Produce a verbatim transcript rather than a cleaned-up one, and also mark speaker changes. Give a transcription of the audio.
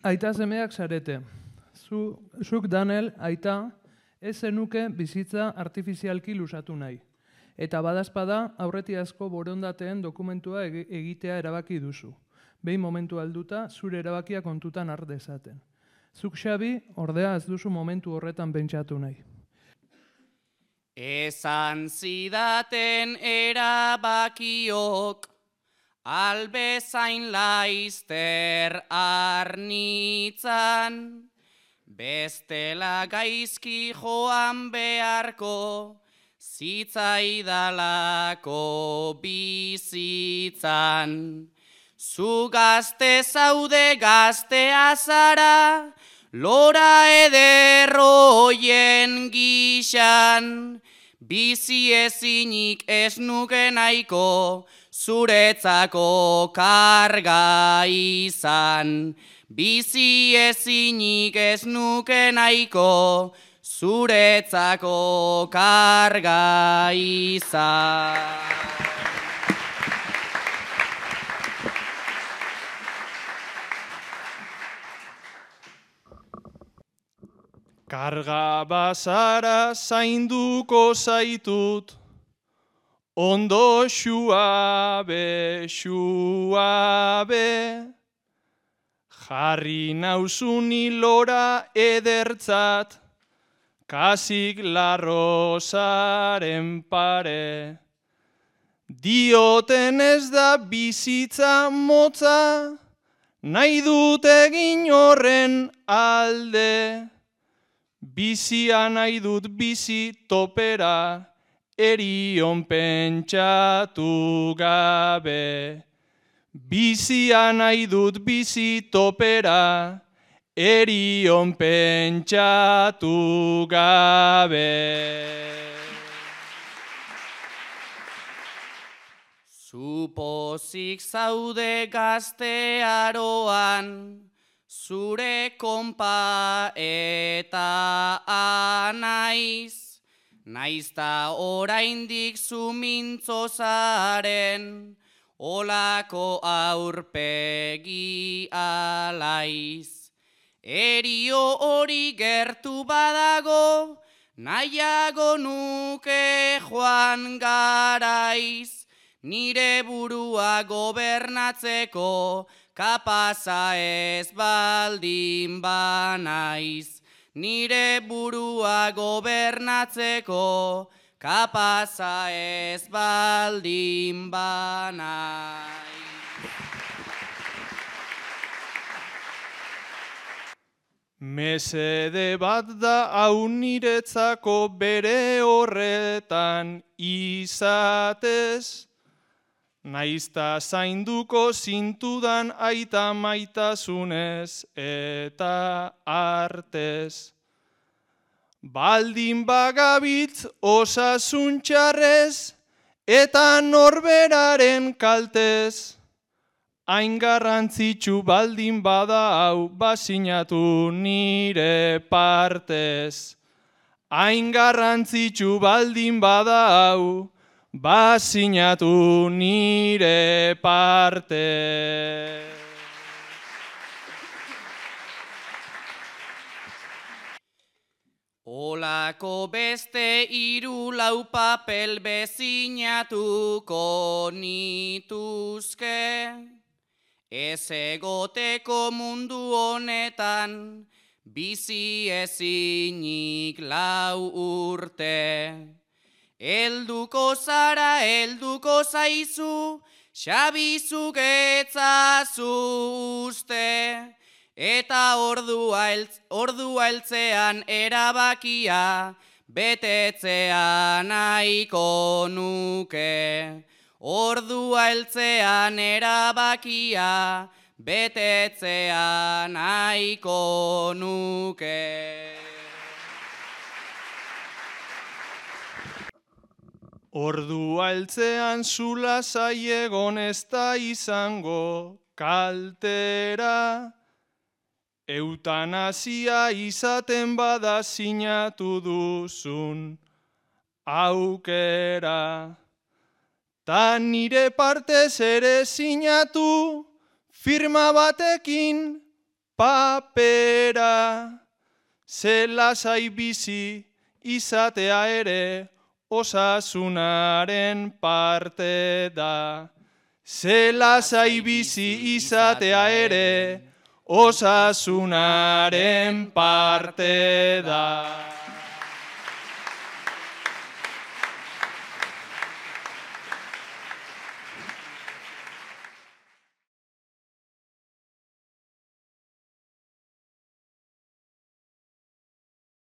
Speaker 1: Aita semeak zarete. Zu, zuk Daniel, aita, ez zenuke bizitza artifizialki lusatu nahi. Eta badazpada aurretiazko borondateen dokumentua egitea erabaki duzu. Behin momentu alduta, zure erabakia kontutan har dezaten. Zuk Xabi, ordea ez duzu momentu horretan pentsatu nahi.
Speaker 2: Esan zidaten erabakiok, albezain laizter arnitzan, bestela gaizki joan beharko, zitzaidalako bizitzan. Zu gazte zaude gaztea zara, lora ederroien gixan, bizi ezinik ez nuke nahiko, zuretzako karga izan. Bizi ezinik ez nuke nahiko, zuretzako karga izan.
Speaker 3: Karga bazara zainduko zaitut, ondo xuabe, xuabe, jarri nauzuni lora edertzat, kasik larrosaren pare. Dioten ez da bizitza motza, nahi dut egin horren alde. Bizia nahi dut bizi topera, erion pentsatu gabe. Bizia nahi dut bizi topera, erion pentsatu gabe.
Speaker 2: Zupozik zaude gaztearoan, zure konpa eta anaiz, naizta oraindik zumintzo zaren, olako aurpegi alaiz. Erio hori gertu badago, nahiago nuke joan garaiz, nire burua gobernatzeko, kapaza ez baldin banaiz. Nire burua gobernatzeko, kapaza ez baldin banaiz.
Speaker 3: Mesede bat da hau niretzako bere horretan izatez, naizta zainduko zintudan aita maitasunez eta artez. Baldin bagabitz osasun txarrez eta norberaren kaltez. Hain garrantzitsu baldin bada hau basinatu nire partez. Hain garrantzitsu baldin bada hau basinatu nire partez.
Speaker 2: Olako beste hiru lau papel bezinatuko nituzke, ez egoteko mundu honetan, bizi ezinik lau urte. Elduko zara, elduko zaizu, Xabizuk etzazu uste, eta ordua heltzean erabakia, betetzea nahiko nuke. Ordua heltzean erabakia, betetzea nahiko nuke.
Speaker 3: Ordua heltzean zula zaiegon ez da izango kaltera, eutanazia izaten bada sinatu duzun aukera. Ta nire partez ere sinatu firma batekin papera, ze lasai bizi izatea ere osasunaren parte da. Ze lasai bizi izatea ere osasunaren parte da.